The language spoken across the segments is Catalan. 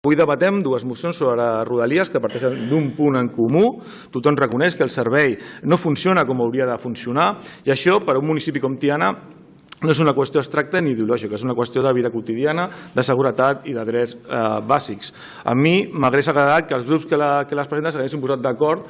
Avui debatem dues mocions sobre Rodalies que parteixen d'un punt en comú. Tothom reconeix que el servei no funciona com hauria de funcionar i això, per a un municipi com Tiana, no és una qüestió abstracta ni ideològica, és una qüestió de vida quotidiana, de seguretat i de drets bàsics. A mi m'hauria agradat que els grups que les presenten s'haguessin posat d'acord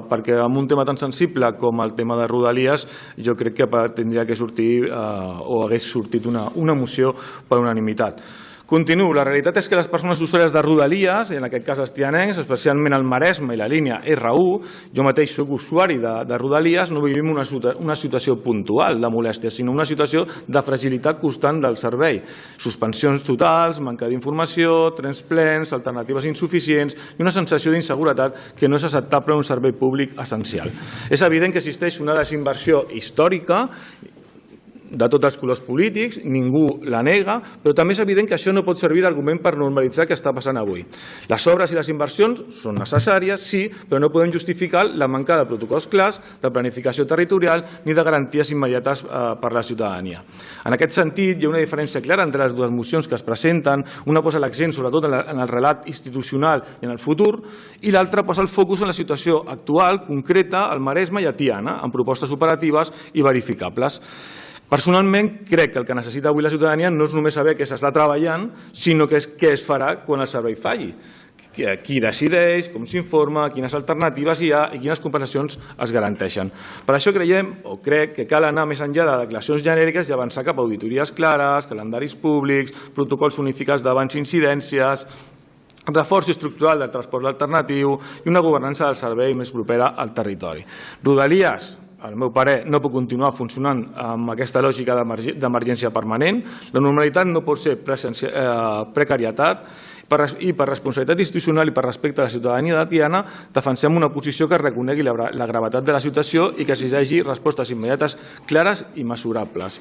perquè en un tema tan sensible com el tema de Rodalies jo crec que tindria que sortir o hagués sortit una moció per unanimitat. Continuo. La realitat és que les persones usuàries de Rodalies, en aquest cas els tianencs, especialment el Maresme i la línia R1, jo mateix soc usuari de Rodalies, no vivim una situació puntual de molèstia, sinó una situació de fragilitat constant del servei. Suspensions totals, manca d'informació, trens plens, alternatives insuficients i una sensació d'inseguretat que no és acceptable en un servei públic essencial. És evident que existeix una desinversió històrica de tots els colors polítics, ningú la nega, però també és evident que això no pot servir d'argument per normalitzar el que està passant avui. Les obres i les inversions són necessàries, sí, però no podem justificar la manca de protocols clars, de planificació territorial ni de garanties immediates per a la ciutadania. En aquest sentit, hi ha una diferència clara entre les dues mocions que es presenten. Una posa l'accent sobretot en el relat institucional i en el futur i l'altra posa el focus en la situació actual, concreta, al Maresme i a Tiana, amb propostes operatives i verificables. Personalment, crec que el que necessita avui la ciutadania no és només saber què s'està treballant, sinó què es farà quan el servei falli. Qui decideix, com s'informa, quines alternatives hi ha i quines compensacions es garanteixen. Per això crec que cal anar més enllà de declaracions genèriques i avançar cap a auditories clares, calendaris públics, protocols unificats d'abans i incidències, reforç estructural del transport alternatiu i una governança del servei més propera al territori. Rodalies, al meu parer, no pot continuar funcionant amb aquesta lògica d'emergència permanent. La normalitat no pot ser precarietat i per responsabilitat institucional i per respecte a la ciutadania de Tiana defensem una posició que reconegui la gravetat de la situació i que exigeixi respostes immediates, clares i mesurables.